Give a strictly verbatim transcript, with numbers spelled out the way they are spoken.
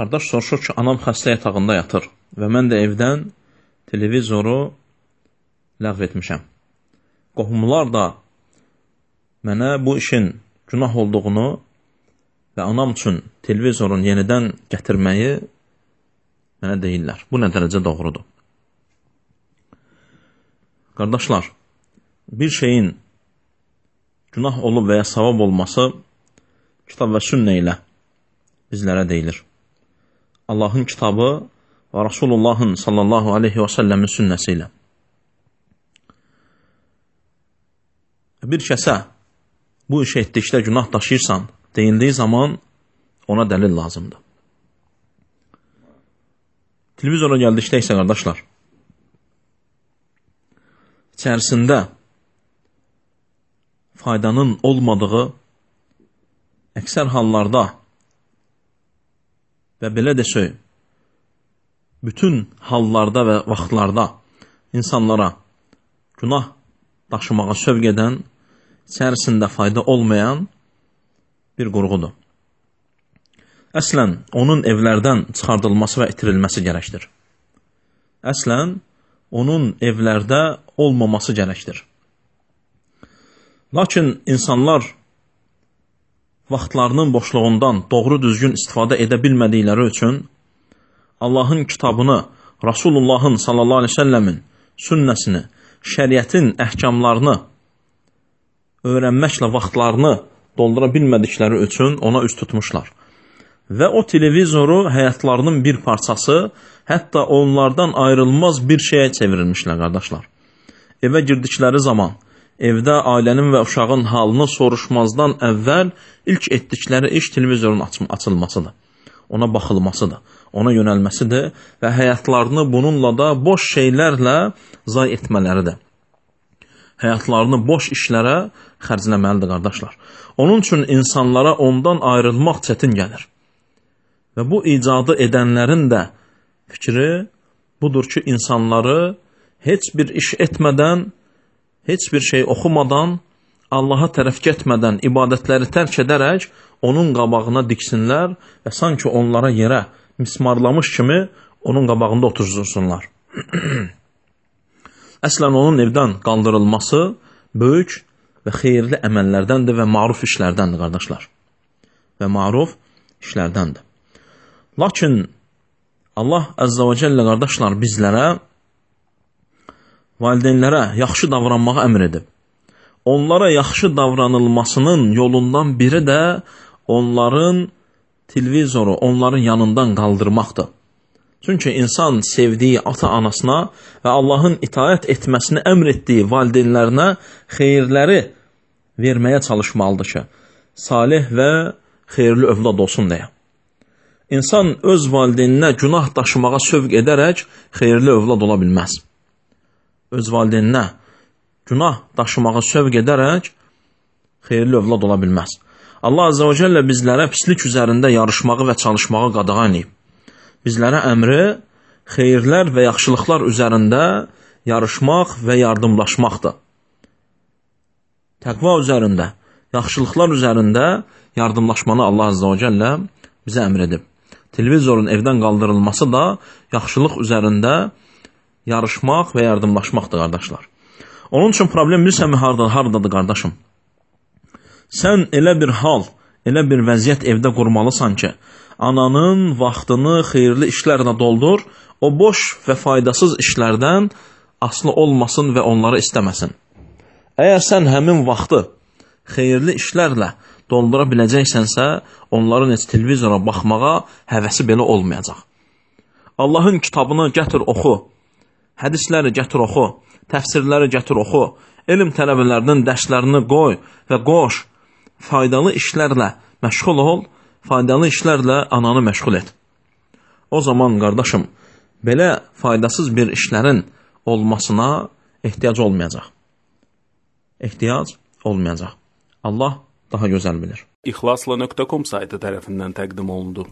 Qardaş soruşur ki, anam xəstə yatağında yatır və mən də evdən televizoru ləğv etmişəm. Qohumlar da mənə bu işin günah olduğunu və anam üçün televizorun yenidən gətirməyi mənə deyirlər. Bu nə dərəcə doğrudur? Qardaşlar, bir şeyin günah olub və ya savab olması kitab və sünnə ilə bizlərə deyilir. Allahın kitabı və Rasulullahın sallallahu aleyhi və səlləmin sünnəsi ilə. Bir kəsə bu işə etdikdə günah daşıyırsan, deyildiyi zaman ona dəlil lazımdır. Televizora gəldikdə isə qardaşlar, içərisində faydanın olmadığı əksər hallarda və belə desək, bütün hallarda və vaxtlarda insanlara günah daşımağa sövq edən, içərisində fayda olmayan bir qurğudur. Əslən, onun evlərdən çıxardılması və itirilməsi gərəkdir. Əslən, onun evlərdə olmaması gərəkdir. Lakin insanlar vaxtlarının boşluğundan doğru düzgün istifadə edə bilmədikləri üçün Allahın kitabını, Rasulullahın sallallahu aleyhi ve səlləmin sünnəsini, şəriətin əhkamlarını öyrənməklə vaxtlarını doldura bilmədikləri üçün ona üst tutmuşlar. Və o televizoru həyatlarının bir parçası, hətta onlardan ayrılmaz bir şeyə çevirilmişlər, qardaşlar. Evə girdikləri zaman, evdə ailənin və uşağın halını soruşmazdan əvvəl ilk etdikləri iş televizorun açılmasıdır. Ona baxılmasıdır, ona yönəlməsidir və həyatlarını bununla da boş şeylərlə zay etmələridir. Həyatlarını boş işlərə xərcləməlidir, qardaşlar. Onun üçün insanlara ondan ayrılmaq çətin gəlir. Və bu icadı edənlərin də fikri budur ki, insanları heç bir iş etmədən, heç bir şey oxumadan, Allaha tərəf getmədən ibadətləri tərk edərək onun qabağına diksinlər və sanki onlara yerə mismarlamış kimi onun qabağında otursunlar. Əslən onun evdən qaldırılması böyük və xeyirli əməllərdəndir və maruf işlərdəndir, qardaşlar. Və maruf işlərdəndir. Lakin Allah Əzzə və Cəllə, qardaşlar, bizlərə, valideynlərə yaxşı davranmağı əmr edib. Onlara yaxşı davranılmasının yolundan biri də onların televizoru, onların yanından qaldırmaqdır. Çünki insan sevdiyi ata-anasına və Allahın itaət etməsini əmr etdiyi valideynlərinə xeyirləri verməyə çalışmalıdır ki, salih və xeyirli övlad olsun deyə. İnsan öz valideyninə günah daşımağa sövq edərək xeyirli övlad ola bilməz. Öz valideyninə günah daşımağa sövq edərək xeyirli övlad ola bilməz. Allah Azze və Cəllə bizlərə pislik üzərində yarışmağı və çalışmağı qadağan edib. Bizlərə əmri xeyirlər və yaxşılıqlar üzərində yarışmaq və yardımlaşmaqdır. Təqva üzərində, yaxşılıqlar üzərində yardımlaşmanı Allah Azze və Cəllə bizə əmr edib. Televizorun evdən qaldırılması da yaxşılıq üzərində yarışmaq və yardımlaşmaqdır, qardaşlar. Onun üçün problem bilsənmi haradadır, qardaşım? Sən elə bir hal, elə bir vəziyyət evdə qurmalısan ki, ananın vaxtını xeyirli işlərlə doldur, o boş və faydasız işlərdən asılı olmasın və onları istəməsin. Əgər sən həmin vaxtı xeyirli işlərlə doldura biləcəksənsə, onların heç televizora baxmağa həvəsi belə olmayacaq. Allahın kitabını gətir oxu, hədisləri gətir oxu, təfsirləri gətir oxu, elm tələbələrinin dərslərini qoy və qoş, faydalı işlərlə məşğul ol, faydalı işlərlə ananı məşğul et. O zaman, qardaşım, belə faydasız bir işlərin olmasına ehtiyac olmayacaq. Ehtiyac olmayacaq. Allah daha gözəl bilir. İxlasla nöqtə com saytı tərəfindən təqdim olundu.